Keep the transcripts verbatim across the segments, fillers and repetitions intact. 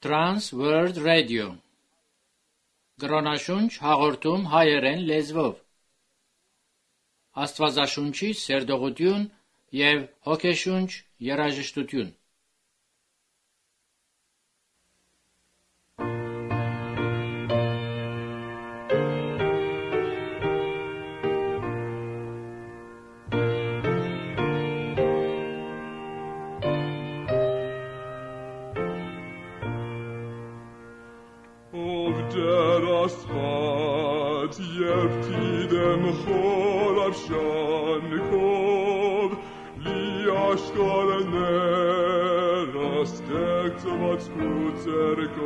Trans World Radio Գրոնաշունչ հաղորդում հայերեն լեզվով Աստվածաշունչի սերտողություն և հոգեշունչ երաժշտություն Երբ դիտեմ խորավ շանքով լի աշխարհները ստեղծված կուծերկով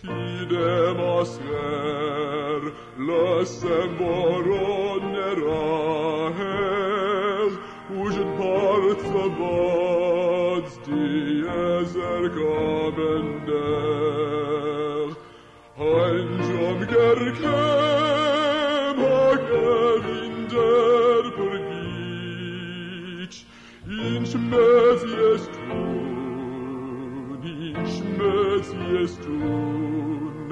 դիտեմ ասղեր լսեմ որոնները հեղ ուժն բարձրված դիեզեր կավեններ Անջամ գերքեմ հակևին դեր բրգիչ, ինչ մեծ ես տուն, ինչ մեծ ես տուն,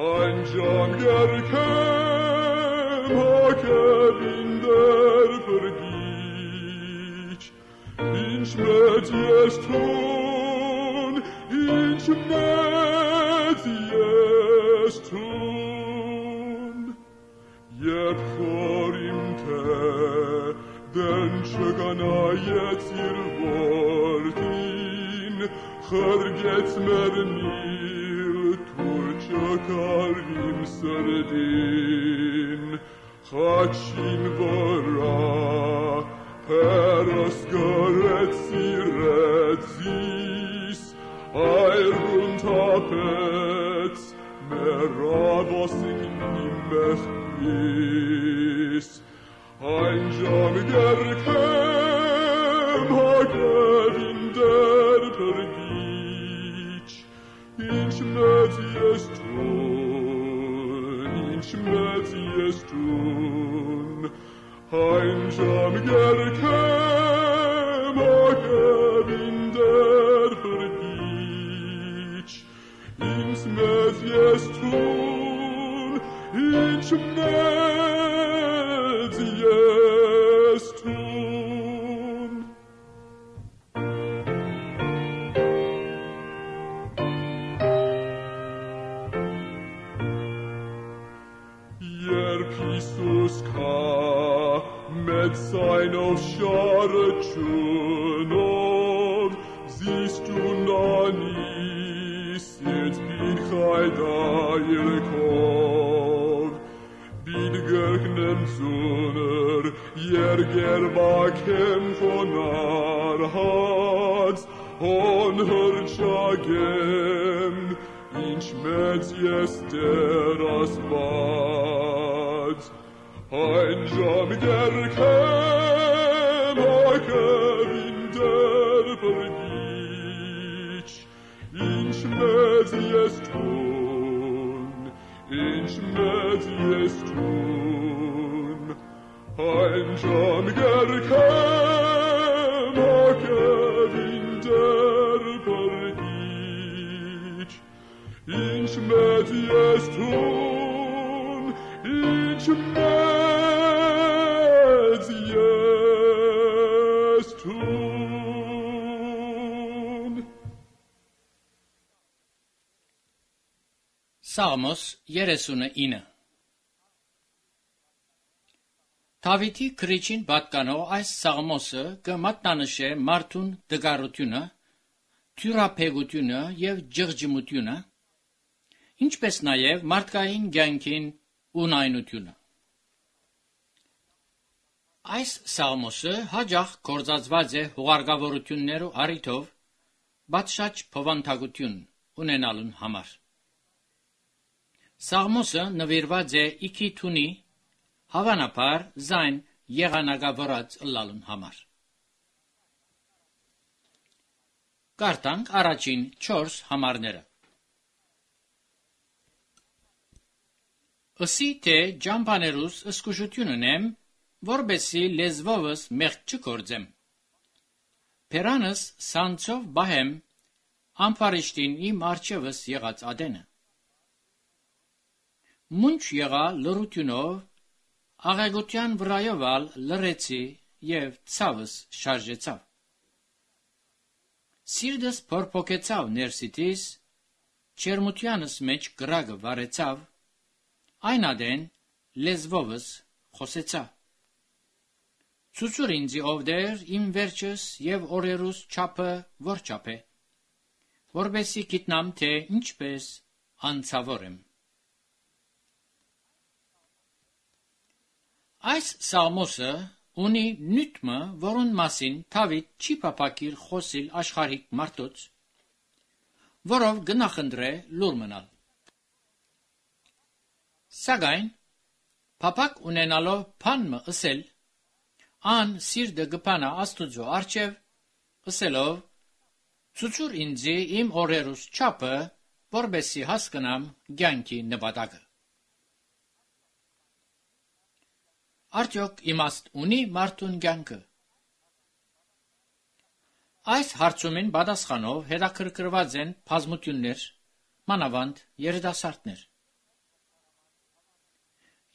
անջամ գերքեմ հակևին դեր բրգիչ, ինչ մեծ ես տուն, ինչ մեծ ես Tun, Երբ խորիմ թե դեն չկանայեց իր որդին, խրգեց մերնիլ, թուր չկար իմ սրդին, խաչին վրա պերս գրեց սիրեց զիս, այրուն թապեց, Մերավոսին իմ մեղքիս, Անջամ գերքեմ հակևին դեր բրգիչ, Ինչ մեծ ես տուն, ինչ մեծ ես տուն, Անջամ գերքեմ հակևին դեր բրգիչ, Ինչ մեծ ես տուն, ինչ մեծ ես տուն. Երբ Հիսուս կա մեծ սայնով շարը ճունով, զիստուն անի Siet bin Chaydayirkov, bin Görgnem Zuner, Yerger Bakem Fonar Hats, On Hırçagem, Inch Metz Yester Asbad, Anjam Gerkem Hakevin der Bergich, Ինչ մեծ ես տուն, ինչ մեծ ես տուն, Անջամ գերքեմ հակևին դեր բրգիչ, Ինչ մեծ ես տուն, ինչ մեծ ես տուն. Սաղմոս երեսունինը Դավիթի քրիչին պատկանող այս սաղմոսը կմատնանշե մարդուն դգարությունը, թյուրափեղությունը և ջղջմությունը, ինչպես նաև մարդկային կյանքին ունայնությունը։ Այս սաղմոսը հաճախ գործածված է հուղարկավորություններու առիթով պատշաճ փոխանցություն ունենալուն համար։ Սաղմոսը նվիրված է իքիթունի, հավանաբար զայն եղանակավորած ըլլալուն համար։ Կարդանք առաջին չորս համարները։ Ըսի թե ջամբաներուս ըսկուշություն ունեմ, որբեսի լեզվովս մեղք չգործեմ։ Փերանս սանցով բահեմ, ամփարիշտին իմ արջևս եղած ադենը։ Մունչ եղա լրությունով, աղեղության վրայով ալ լրեցի և ցավս շարժեցավ։ Սիրտս փորփոքեցավ ներսիտիս, չերմությանս մեջ կրակը վառեցավ, այն ադեն լեզվովս խոսեցա։ Ցուցուր ինձի ով դեր իմ վերջս և օրերուս չափը որ չափ է, որբեսի գիտնամ թե ինչպես անցավոր եմ։ Այս սաղմոսը ունի նյութմը, որուն մասին Դավիթ չի փափակիր խոսիլ աշխարհիկ մարդոց, որով գնախնդրե լուր մնալ։ Սակայն փափակ ունենալով բանմը ըսել, ան սիրտը գփանա Աստուծո առջև, ըսելով. ցուցուր ինձի իմ օրերուս չափը, որբեսի հասկանամ կյանքի նպատակը։ Արդյոք իմաստ ունի մարդուն կյանքը։ Այս հարցումին պատասխանով հետաքրքրված են բազմություններ, մանավանդ երիտասարդներ։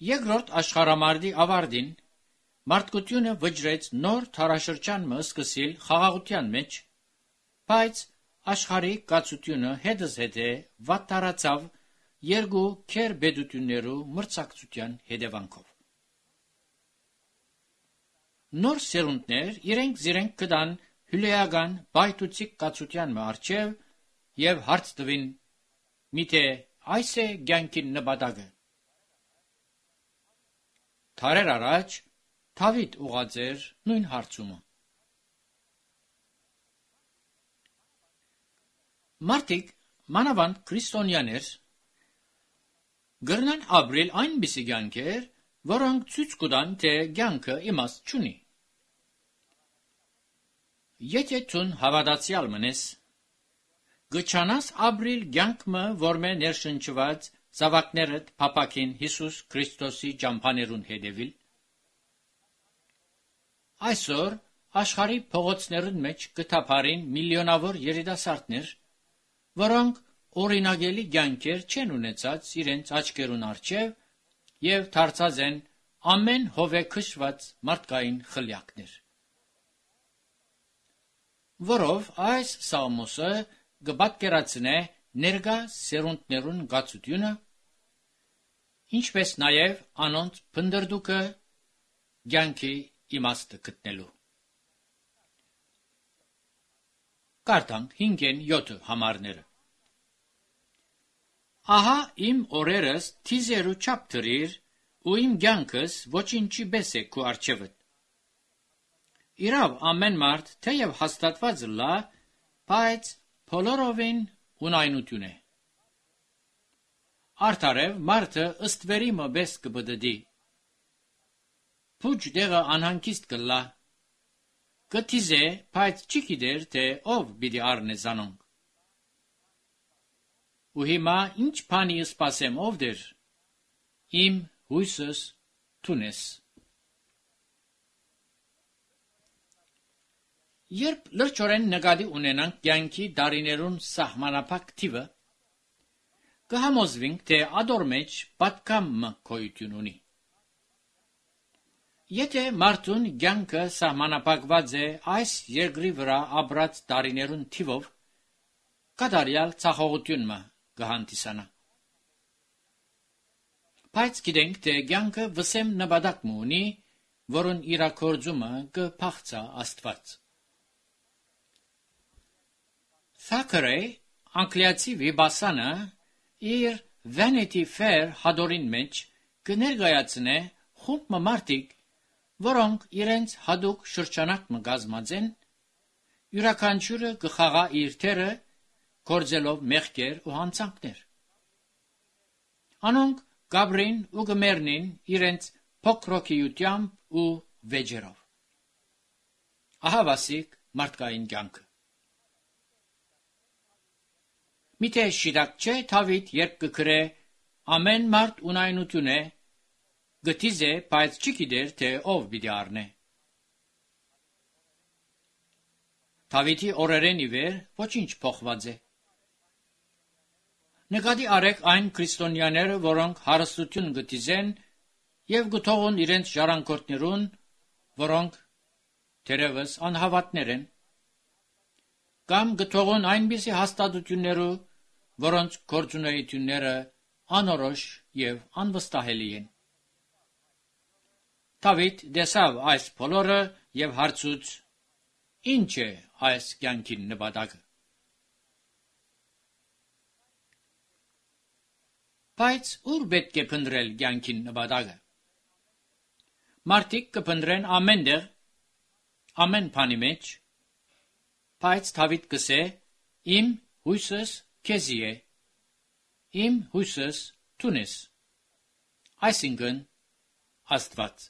Երկրորդ աշխարհամարտի ավարտին մարդկությունը վճռեց նոր դարաշրջանը սկսել խաղաղության մեջ, բայց աշխարհի կացությունը հետզհետե վատթարացավ երկու քերբեդություններու մրցակցության հետևանքով։ Նոր սերունդներ իրենք զիրենք կդան հյուրեական բայթուցիկ կացության առջև և հարց տվին, միթե այս է կյանքի նպատակը։ Դարեր առաջ Դավիթ ուղղած էր նույն հարցումը։ Մարդիկ, մանավանդ քրիստոնյաներ, գրնան ապրել այնպիսի կյանքեր, որոնք ցույց կտան, թե կյանքը իմաստ չունի։ Եթե ցուն հավատացյալ մնես, գչանաս ապրել կյանքը, որմե ներշնչված զավակներդ փափակին Հիսուս Քրիստոսի ճամփաներուն հետևիլ։ Այսօր աշխարհի փողոցներուն մեջ կթափարին միլիոնավոր երիտասարդներ, որոնք օրինակելի կյանքեր չեն ունեցած իրենց աչքերուն առջև և դարձած են ամեն հովե քշված մարդկային խլյակներ։ Որով այս սաղմոսը կպատկերացնե ներկա սերունդներուն գացությունը, ինչպես նաև անոնց փնդրդուկը կյանքի իմաստը գտնելու։ Կարդանք հինգեն յոթ համարները։ Ահա իմ օրերս թիզերու չափ դրիր, ու իմ կյանքս ոչինչի պես է քու առջևդ։ Իրավ ամեն մարդ թեև հաստատված լա, բայց բոլորովին ունայնություն է։ Արդարև մարդը ըստ վերիմը պես կբդդի։ Փուջ դեղը անհանգիստ կլա, կթիզե, բայց չի գիտեր, թե ով պիտի առնե զանոնք։ Ու հիմա ինչ բանի սպասեմ ով դեր, իմ հույսս թունես։ Երբ լրջորեն նկատի ունենանք կյանքի դարիներուն սահմանափակ թիվը, կհամոզվենք, թե ադոր մեջ պատկամը գոյություն ունի։ Եթե մարդուն կյանքը սահմանափակված է այս երկրի վրա ապրած դարիներուն թիվով, կատարյալ ցախողությունը կհանդիսանա։ Բայց գիտենք, թե կյանքը վսեմ նպատակ ունի, որուն իրագործումը կփախցա Աստված։ Թաքերեյ, անգլիացի վիբասանը, իր Vanity Fair հադորին մեջ կներկայացնե խումբ մարդիկ, որոնք իրենց հadouk շրջանակը կազմած են, յուրաքանչյուրը կխաղա իր թերը, գործելով մեղքեր ու հանցանքներ։ Անոնք գաբրին ու գմերնին իրենց փոքրոքիությամբ ու վեճերով։ Ահավասիկ մարդկային կյանքը։ Միթե շիտակ չէ Դավիթ, երբ կգրե ամեն մարդ ունայնություն է, գտիզե, բայց չի գիտեր, թե ով պիտի առնե։ Դավիթի օրերեն ի վեր ոչինչ փոխված է։ Նկատի արեք այն քրիստոնյաները, որոնք հարստություն գտիզեն եւ գթողուն իրենց ժառանգորդներուն, որոնք թերևս անհավատներ են, կամ գթողուն այնպիսի հաստատություններու, որոնց գործունեությունները անորոշ եւ անվստահելի են։ Դավիթ դեսավ այս բոլորը եւ հարցուց. ինչ է այս կյանքի նպատակը։ Բայց ուր պետք է փնտրել կյանքի նպատակը։ Մարդիկ կփնտրեն ամենտեղ, ամեն բանի մեջ, բայց Դավիթ կսե. իմ հույսս քեզի է, իմ հույսս դուն ես, այսինքն Աստված։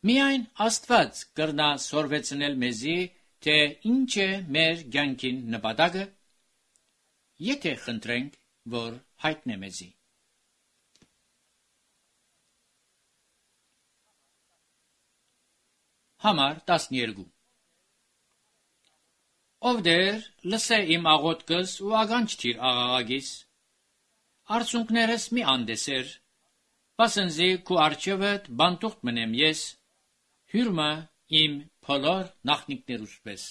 Միայն Աստված կրնա սորվեցնել մեզի, թե ինչ է մեր կյանքի նպատակը, եթե խնդրենք, որ հայտնե մեզի։ Համար տասներկու Ով դեր լսե իմ աղոթքս ու ականջ թիր աղաղակիս, արցունքներս մի անդեսեր, պասնզի քու արջևդ բանտուղտ մնեմ ես, հյուրմը իմ բոլոր նախնիկներուս պես։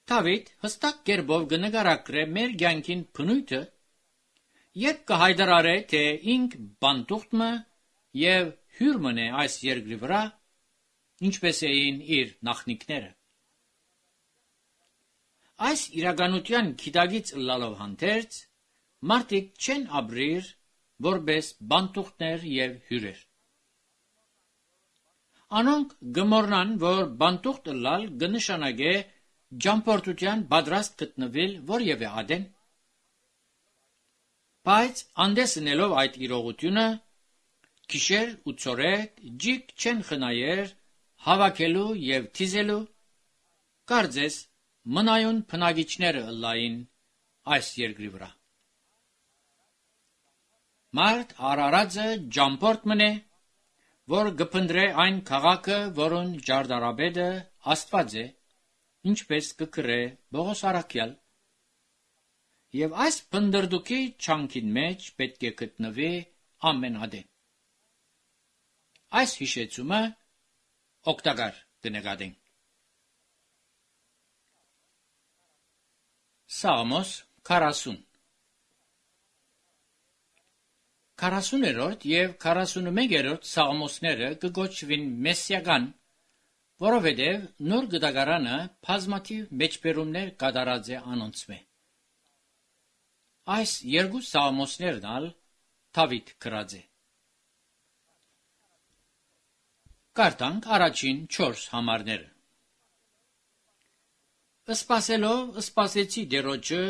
Դավիթ հստակ կերպով կնկարագրե մեր կյանքին բնույթը, երբ կհայտարարե, թե ինք բանտուղտը եւ հյուրմն է այս երկրի վրա, ինչպես էին իր նախնիկները։ Այս իրականության գիտակից ըլլալով հանդերձ, մարդիկ չեն ապրիր որպես բանտուղտներ եւ հյուրեր։ Անոնք գմորնան, որ բանտուղտ ըլլալ կնշանակե ճամփորդության պատրաստ գտնվել որևէ ադեն, բայց անդեսնելով այդ իրողությունը, գիշեր ու ցորեկ ջիկ չեն խնայեր հավաքելու եւ թիզելու, կարծես մնայուն բնակիչները ըլլային այս երկրի վրա։ Մարդ արարածը ճամփորդ մնե, որ գփնդրե այն քաղաքը, որուն ջարդարաբեդը Աստված է, ինչպես կգրե Բողոս առաքյալ, եւ այս փնդրդուքի չանքին մեջ պետք է գտնվի ամեն ադեն։ Այս հիշեցումը օգտակար կնկատենք։ Սաղմոս քառասուն քառասուներորդ եւ քառասունմեկերորդ սաղմոսները կգոչվին մեսսիական, որովհետեւ նոր գդագարանը բազմաթիվ մեջբերումներ կատարած է անոնցմե։ Այս երկու սաղմոսներն ալ Դավիթ գրած է։ Կարդանք առաջին չորս համարները։ Սպասելով սպասեցի Տերոջը,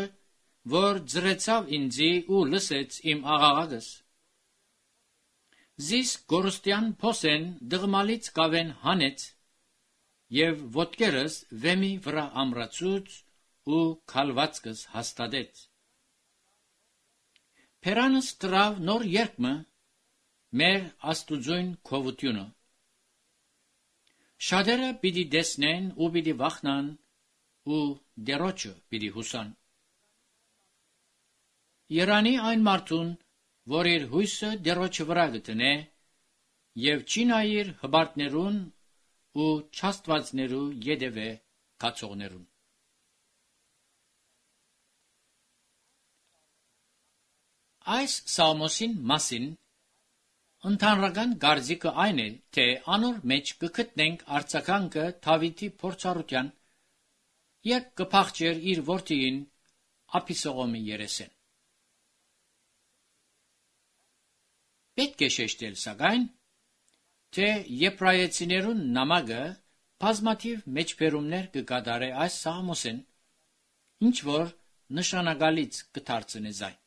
որ ձրեցավ ինձի ու լսեց իմ աղաղակս։ Զիս գորստյան փոսեն դղմալից կավեն հանեց, եւ ոտքերս վեմի վրա ամրացուց ու քալվածքս հաստատեց։ Փերանս տրավ նոր երկմը, մեր աստուծոյն քովությունը։ Շատերը պիտի դեսնեն ու պիտի վախնան ու Տերոջը պիտի հուսան։ Երանի այն մարդուն, որ իր հույսը Տերոջը վրա գտնե եւ չի նայիր հբարտներուն ու չաստվածներու յետևե կացողներուն։ Այս սաղմոսին մասին ընդհանրական գարձիկը այն է, թե անոր մեջ կգտնենք արձագանքը Դավիթի փորձառության, երբ կփախչեր իր որդիին Աբիսողոմի երեսեն։ Պետք է շեշտել սակայն, թե եբրայեցիներուն նամակը բազմաթիվ մեջբերումներ կկատարե այս սաղմոսեն, ինչ որ նշանակալից կդարձնե զայն։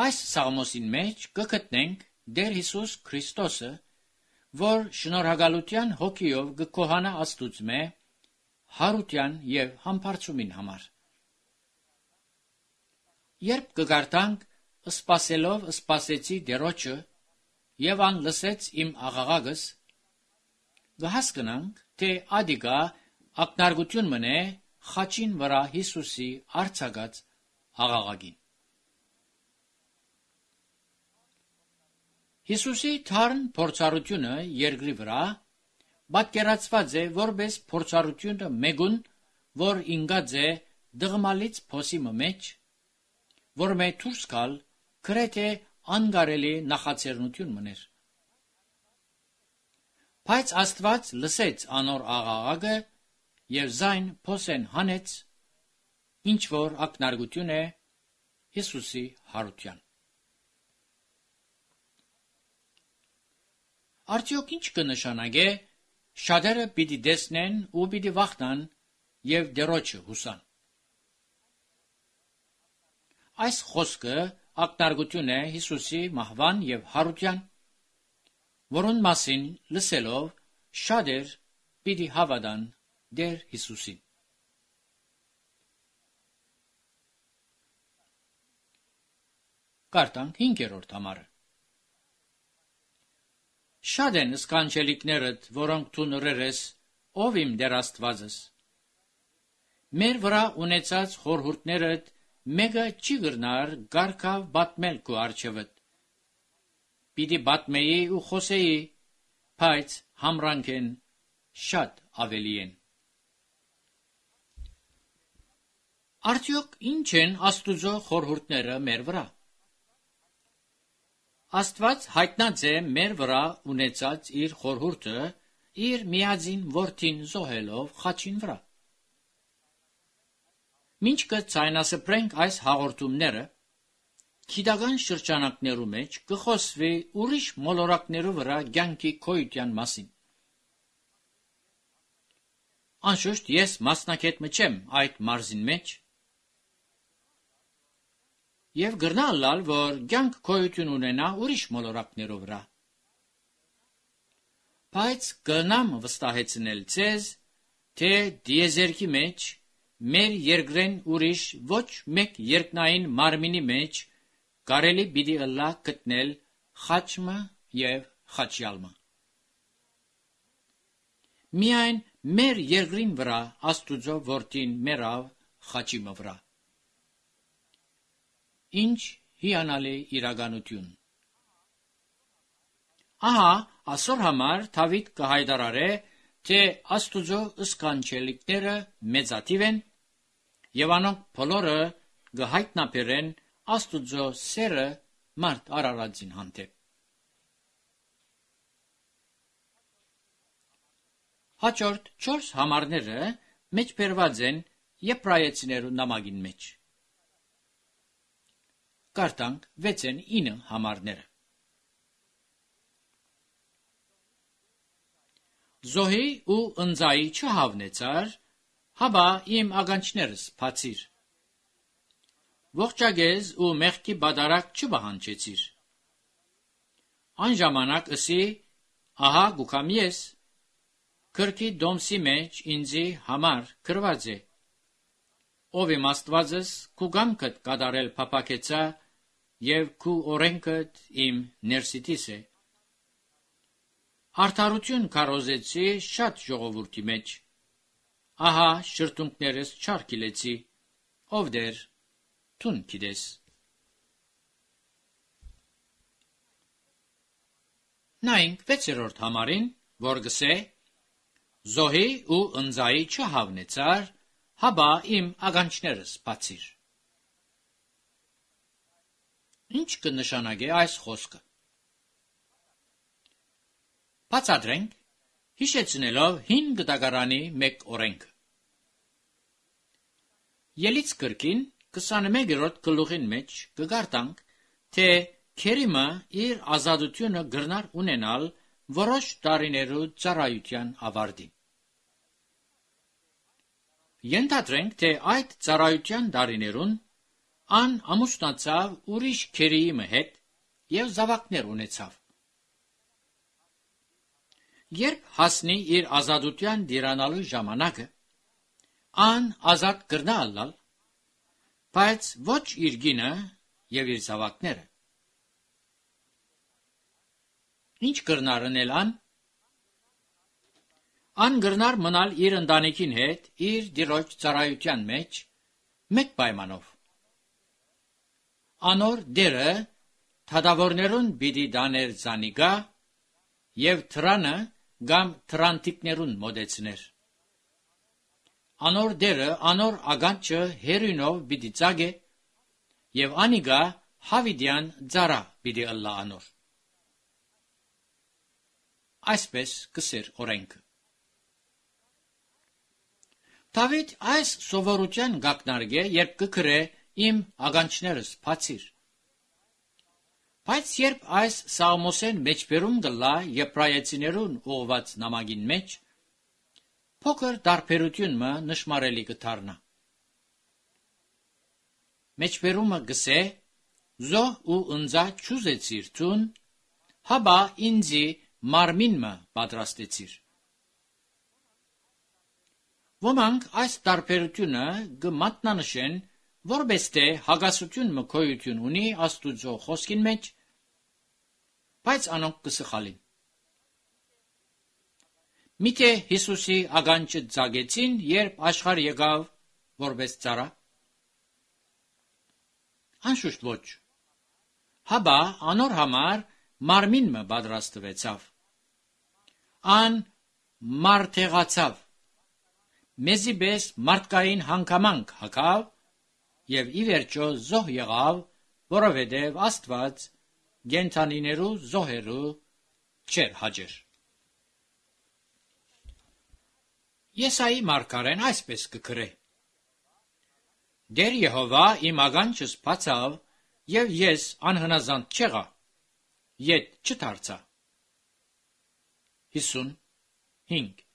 Այս սաղմոսին մեջ կգտնենք Տեր Հիսուս Քրիստոսը, որ շնորհակալության հոգիով կկոհանա Աստուծմե հարության եւ համբարձումին համար։ Երբ կգարտանք սպասելով սպասեցի Տերոջը եւ ան լսեց իմ աղաղակս, կհասկանանք, թե ադիգա ակնարգություն մնե խաչին վրա Հիսուսի արձակած աղաղակին։ Հիսուսի թարն փորձառությունը երկրի վրա պատկերացված է որպես փորձառությունը մեգուն, որ ինգած է դղմալից փոսի մեջ, որ մե դուրս գալ գրեթե անգարելի նախաձեռնություն մներ։ Բայց Աստված լսեց անոր աղաղակը եւ զայն փոսեն հանեց, ինչ որ ակնարգություն է Հիսուսի հարության։ Արդյոք ինչ կնշանակե շատերը պիտի տեսնեն ու պիտի վախնան եւ դերոջը հուսան։ Այս խոսքը ակնարգություն է Հիսուսի մահվան եւ հարության, որոն մասին լսելով շատեր պիտի հավատան դեր Հիսուսին։ Կարդանք հինգերորդ համարը։ Շատ են սկանչելիքներդ, որոնք դու նրեր ես, ով իմ դեր Աստվածս։ Մեր վրա ունեցած խորհուրդներդ մեկը չի գրնար գարքավ բատմել քո առջևդ։ Պիտի բատմեի ու խոսեի, բայց համրանք են շատ ավելի են։ Արդյոք ինչ են Աստուծո խորհուրդները մեր վրա։ Աստված հայտնած է մեր վրա ունեցած իր խորհուրդը իր միածին որդին զոհելով խաչին վրա։ Մինչ կցայնասփռենք այս հաղորդումները, գիտական շրջանակներու մեջ կխոսվի ուրիշ մոլորակներու վրա կյանքի քոյության մասին։ Անշուշտ ես մասնակետ մչեմ այդ մարզին մեջ, եւ գրնալալ, որ կյանք քոյություն ունենա ուրիշ մոլորակներու վրա։ Բայց կնամ վստահեցնել ձեզ, թե դիեզերքի մեջ մեր երկրեն ուրիշ ոչ մեկ երկնային մարմինի մեջ կարելի պիտի ըլլա գտնել խաչմը եւ խաչյալմը։ Միայն մեր երկրին վրա Աստուծո որդին մեռավ խաչի վրա։ Ինչ հիանալի իրականություն։ Ահա ասոր համար Դավիթ կհայտարարե, թե Աստուծո սկանչելիքները մեծաթիվ են եւ անոնք բոլորը կհայտնաբերեն Աստուծո սերը մարդ արարածին հանդեպ։ Հաջորդ չորս համարները մեջբերված են Եբրայեցիներու նամակին մեջ։ Կարդանք վեցեն ինը համարները։ Զոհի ու ընձայի չհավնեցար, հաբա իմ ագանչներս բացիր։ Ողջագեզ ու մեղքի բադարակ չբահանջեցիր։ Այն ժամանակ ըսի, ահա գուքամ ես, քրքի դոմսի մեջ ինձի համար գրված է։ Ով իմ Աստվածս քու գամքդ կատարել փափակեցա եւ քու օրենքդ իմ ներսիտիս է։ Արդարություն քարոզեցի շատ ժողովրդի մեջ, ահա շրթունքներս չարքիլեցի, ով դեր թուն գիտես։ Նայինք վեցերորդ համարին, որ գսե, զոհի ու ընձայի չհավնեցար, հաբա իմ ագանչներս բացիր։ Ինչ կնշանակե այս խոսքը։ Բացատրենք, հիշեցնելով հին գտակարանի մեկ օրենքը։ Ելից կրկին քսաներորդ գլուխին մեջ կգարտանք, թե քերիմը իր ազատությունը գրնար ունենալ որոշ տարիներու ծառայության ավարտին։ Ենթադրենք, թե այդ ծառայության տարիներուն ան ամուսնացավ ուրիշ քերիի հետ եւ զավակներ ունեցավ։ Երբ հասնի իր ազատության դիրանալու ժամանակը, ան ազատ կրնա ալալ, բայց ոչ իր գինը եւ իր զավակները։ Ինչ կրնար անել ան։ Ան գրնար մնալ իր ընտանիքին հետ իր դիրոջ ծառայության մեջ մեկ պայմանով. անոր դերը թադավորներուն պիտի դաներ զանիգա եւ թրանը կամ թրանտիկներուն մոդեցներ. անոր դերը անոր ագանչը հերյունով պիտի ծագե եւ անիգա հավիդյան ծառա պիտի ըլլա անոր. այսպես կսեր օրենքը. Դավիթ այս սովորության գակնարգե, երբ կգրե իմ ագանչներս բացիր. Բայց երբ այս Սաղմոսեն մեջբերում գլա եբրայեցիներուն ուղված նամակին մեջ, փոքր դարբերություն մը նշմարելի կդառնա. մեջբերումը գսե, զոհ ու ընձա չուզեցիր ցուն, հաբա ինձի մարմին մը պատրաստեցիր. Ոմանք այս դարբերությունը կմատնանշեն, որպես թե հագասություն մը գոյություն ունի Աստուծո խոսքին մեջ, բայց անոնք կսխալին. Միթե Հիսուսի ագանչը ծագեցին, երբ աշխարհ եկավ որպես ծառա? Անշուշտ ոչ. հաբա անոր համար մարմին մը պատրաստվեցավ. ան մարդեղացավ, մեզի պես մարդկային հանգամանք հագավ եւ ի վերջո զոհ եղավ, որովհետեւ Աստված գենթանիներու զոհերու չեր հաջեր. Եսայի մարգարեն այսպես կգրե. Դեր Եհովա իմ ագանչս բացավ եւ ես անհնազանդ չեղա, ետ չդարձա. հիսունհինգ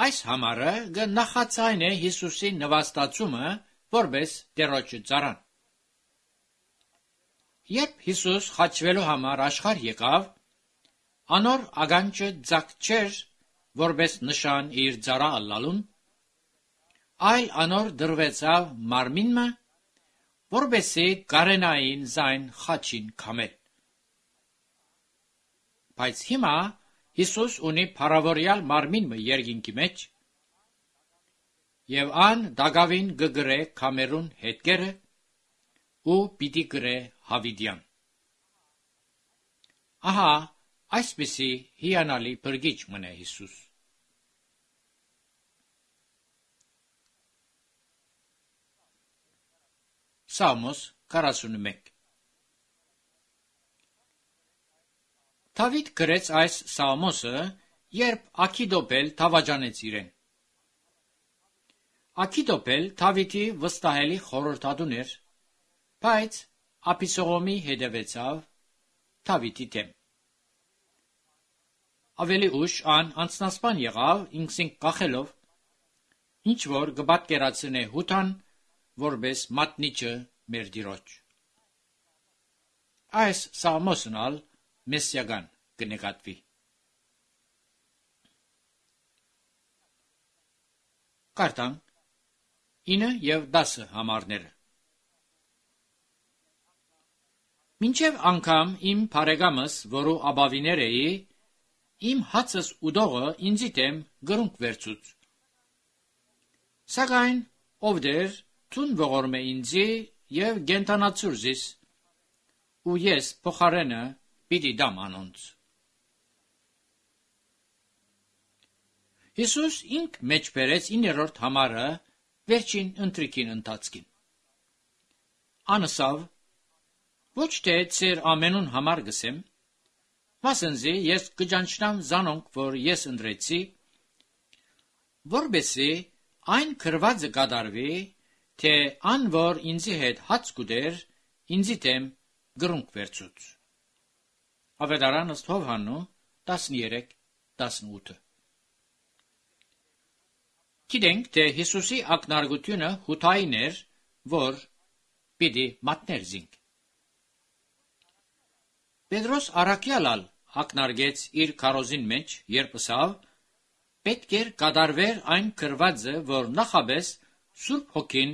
Այս համարը գնախացայն է Հիսուսի նվաստացումը որպես Տերոջը ծառան. Երբ Հիսուս խաչվելու համար աշխարհ եկավ, անոր ագանչը ծակ չէր որպես նշան իր ծառա ըլլալուն, այլ անոր դրվեցավ մարմինը, որպեսզի կարենային զայն խաչին քամել. Բայց հիմա Հիսուս ունի փառավորյալ մարմինը երկինքի մեջ, եւ ան դագավին գգրե քամերուն հետքերը ու պիտի գրե հավիդյան. Ահա այսպիսի հիանալի բրգիչ մնե Հիսուս. Սաղմոս քառասունմեկ Դավիթ գրեց այս Սաղմոսը, երբ Աքիդոպել դավաճանեց իրեն. Աքիդոպել Դավիթի վստահելի խորհրդատուն էր, բայց Աբիսողոմի հետևեցավ Դավիթի դեմ. Ավելի ուշ ան անցնասպան եղավ ինքսին կախելով, ինչ որ կպատկերացնե Հութան, որպես մատնիչը մեր դիրոջ. Այս Սաղմոսն ալ մեսիական կնկատվի. Կարդանք ինը եւ դասը համարները. Մինչև անգամ իմ բարեկամս, որու աբավիներ էի, իմ հացս ուդողը ինձի դեմ գրունկ վերցուց. Սակայն ով դեր թուն ողորմ է ինձի եւ գենթանացուր զիս, ու ես փոխարենը պիտի դամ անոնց. Հիսուս ինք մեջ բերեց իններորդ համարը վերջին ընտրիկին ընթացքին. Անսավ, ոչ թե ծեր ամենուն համար գսեմ, մասնզի ես կճանչնամ զանոնք, որ ես ընտրեցի, որբեսի այն քրվածը կատարվի, թե ան, որ ինձի հետ հաց կուտեր, ինձի դեմ գրունկ վերցուց. Ավետարան ըստ Հովհաննու տասներեք տասնութ Գիտենք, թե Հիսուսի ակնարկությունը հութային էր, որ պիտի մատներ զինք. Պետրոս առաքյալալ ակնարկեց իր քարոզին մեջ, երբ ասավ, պետք էր կատարվեր այն քրվածը, որ նախաբես Սուրբ Հոգին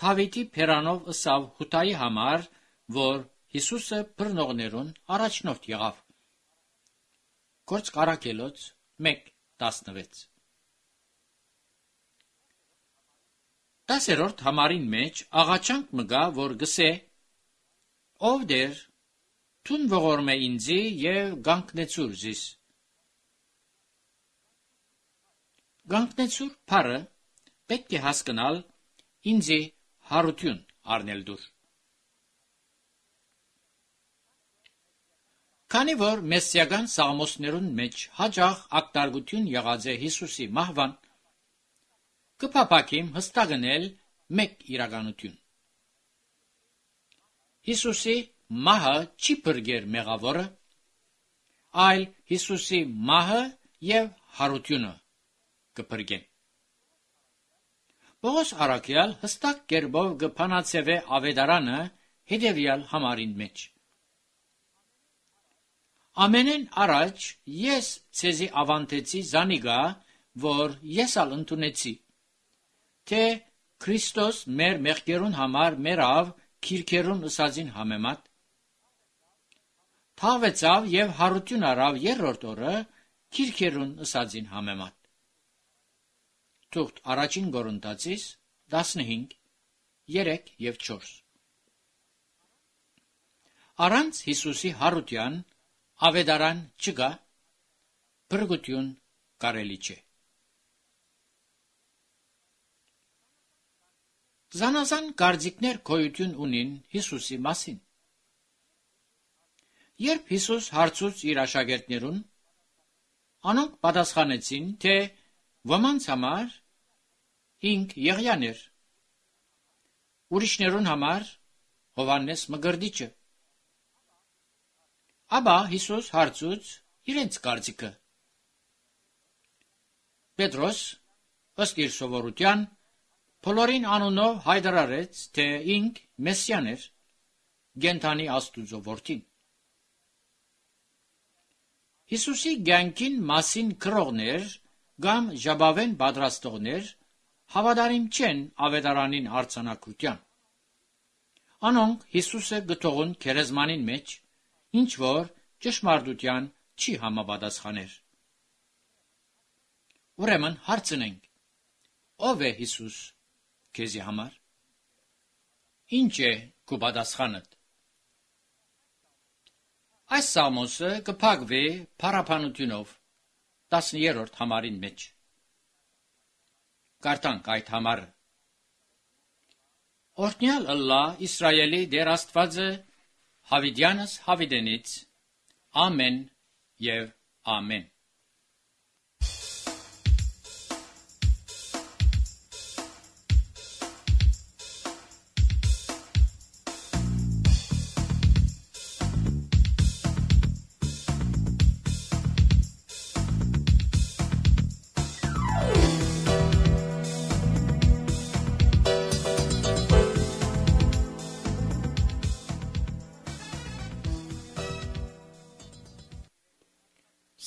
Դավիթի փերանով ասավ հութայի համար, որ Հիսուսը բռնողներուն առաջնորդ եղավ. Գործք Առաքելոց մեկ տասնվեց։ Տասերորդ համարին մեջ աղաչանք մգա, որ գսե. «Ով դեր, թուն ողորմ է ինձի և գանքնեցուր զիս»։ Գանքնեցուր փառը պետք է հասկանալ ինձի հարություն առնել դուր։ Քանի որ մեսսիական սաղմոսներուն մեջ հաջող ակտարգություն եղած է Հիսուսի մահվան, կփափակիմ հստակնել մեկ իրականություն։ Հիսուսի մահը չի փրկեր մեղավորը, այլ Հիսուսի մահը և հարությունը կփրկեն։ Պողոս առաքյալ հստակ կերպով կփանացևե ավետարանը հետևյալ համարին մեջ. Ամենեն առաջ ես ցեզի ավանդեցի զանիգա, որ ես ալ ընդունեցի, թե Քրիստոս մեր մեղքերուն համար մեռավ քիրքերուն ըսածին համեմատ, թաղվեցավ և հարություն առավ երրորդ օրը քիրքերուն ըսածին համեմատ։ Թուղթ առաջին Կորինթացիս տասնհինգ, երեք և չորս։ Առանց Հիսուսի հարության ավետարան չկա, փրկություն կարելի չէ։ Զանազան կարծիքներ գոյություն ունին Հիսուսի մասին։ Երբ Հիսուս հարցուց իր աշակերտներուն, անոնք պատասխանեցին, թե ոմանց համար ինք Եղիան էր, ուրիշներուն համար Հովհաննես Մկրտիչը։ Ապա Հիսուս հարցուց իրենց կարծիքը։ Պետրոս ըստ իր սովորության բոլորին անունով հայտարարեց, թե ինք Մեսսիան էր, կենդանի Աստուծո որդին։ Հիսուսի կյանքին մասին գրողներ կամ ժապավեն պատրաստողներ հավատարիմ չեն ավետարանին արձանագրության։ Անոնք Հիսուսը գտողուն քերեզմանին մեջ ինչ որ ճշմարտության չի համապատասխաներ։ Ուրեմն հարցնենք. ով է Հիսուս քեզի համար։ Ինչ է քո պատասխանդ։ Այս սաղմոսը կփակվի փառաբանությունով տասներորդ համարին մեջ։ Կարդանք այդ համարը։ Օրհնյալ ըլլա Իսրայելի Տեր Աստվածը հավիտյանս հավիտենից, ամեն և ամեն։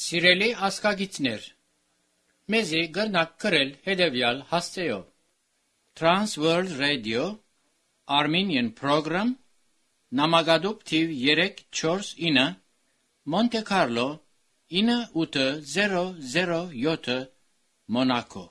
Սիրելի ազգագիցներ, մեզի գրնակ գրել հետևյալ հասցեով. Trans World Radio Armenian Program Նամակադուպ թիվ երեք չորս ինը Monte Carlo ինը ութ զերո զերո յոթ Monaco